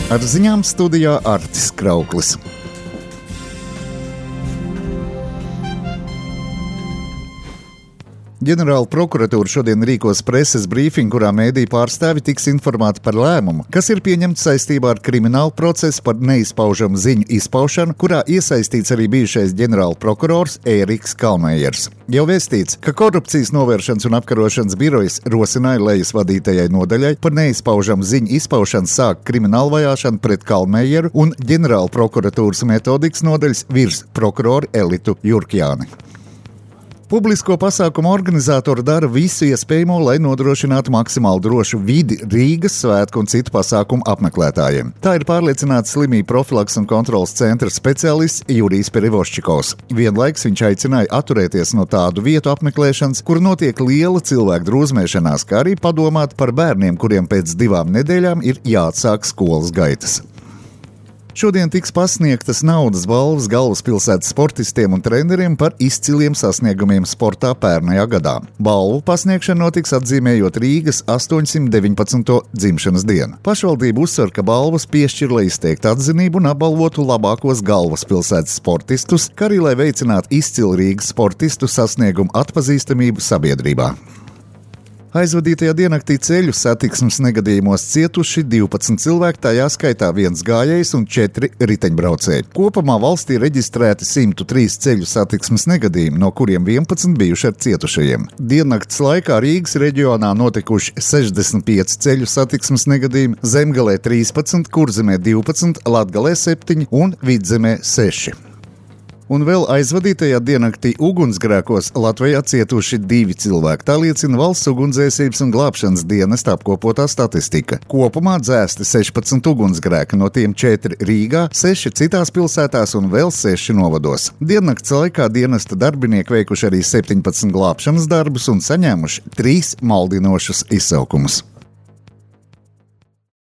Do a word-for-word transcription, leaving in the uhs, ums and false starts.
Ar ziņām studijā Artis Krauklis. Ģenerāla prokuratūra šodien rīkos preses brīfingu, kurā mēdīju pārstāvi tiks informēti par lēmumu, kas ir pieņemts saistībā ar kriminālu procesu par neizpaužamu ziņu izpaušanu, kurā iesaistīts arī bijušais ģenerāla prokurors Ēriks Kalmējers. Jau vēstīts, ka korupcijas novēršanas un apkarošanas birojas rosināja lejas vadītajai nodaļai par neizpaužamu ziņu izpaušanu sākt kriminālu vajāšanu pret Kalmējeru un ģenerāla prokuratūras metodikas nodaļas virsprokuroru Elitu Jurkjāni. Publisko pasākumu organizatori dara visu iespējamo, lai nodrošinātu maksimāli drošu vidi Rīgas svētku un citu pasākumu apmeklētājiem. Tā ir pārliecināts slimību profilaks un kontrolas centra speciālists Jurijs Perivoščikovs. Vienlaiks viņš aicināja atturēties no tādu vietu apmeklēšanas, kur notiek liela cilvēku drūzmēšanās, kā arī padomāt par bērniem, kuriem pēc divām nedēļām ir jāatsāk skolas gaitas. Šodien tiks pasniegtas naudas balvas galvaspilsētas sportistiem un treneriem par izciliem sasniegumiem sportā pērnajā gadā. Balvu pasniegšana notiks atzīmējot Rīgas astoņsimt deviņpadsmito dzimšanas dienu. Pašvaldība uzsver, ka balvas piešķir, lai izteiktu atzinību un apbalvotu labākos galvaspilsētas sportistus, kā arī lai veicinātu izcilu Rīgas sportistu sasniegumu atpazīstamību sabiedrībā. Aizvadītajā diennaktī ceļu satiksmes negadījumos cietuši divpadsmit cilvēki, tajā skaitā viens gājējs un četri riteņbraucēji. Kopumā valstī reģistrēti simt trīs ceļu satiksmes negadījumi, no kuriem vienpadsmit bijuši ar cietušajiem. Diennakts laikā Rīgas reģionā notikuši sešdesmit pieci ceļu satiksmes negadījumi, Zemgalē trīspadsmit, Kurzemē divpadsmit, Latgalē septiņi un Vidzemē seši. Un vēl aizvadītajā diennaktī ugunsgrēkos Latvijā cietuši divi cilvēki. Tā liecina Valsts ugunsdzēsības un glābšanas dienesta apkopotā statistika. Kopumā dzēsti sešpadsmit ugunsgrēki, no tiem četri Rīgā, seši citās pilsētās un vēl seši novados. Diennakts laikā dienesta darbinieki veikuši arī septiņpadsmit glābšanas darbus un saņēmuši trīs maldinošus izsaukumus.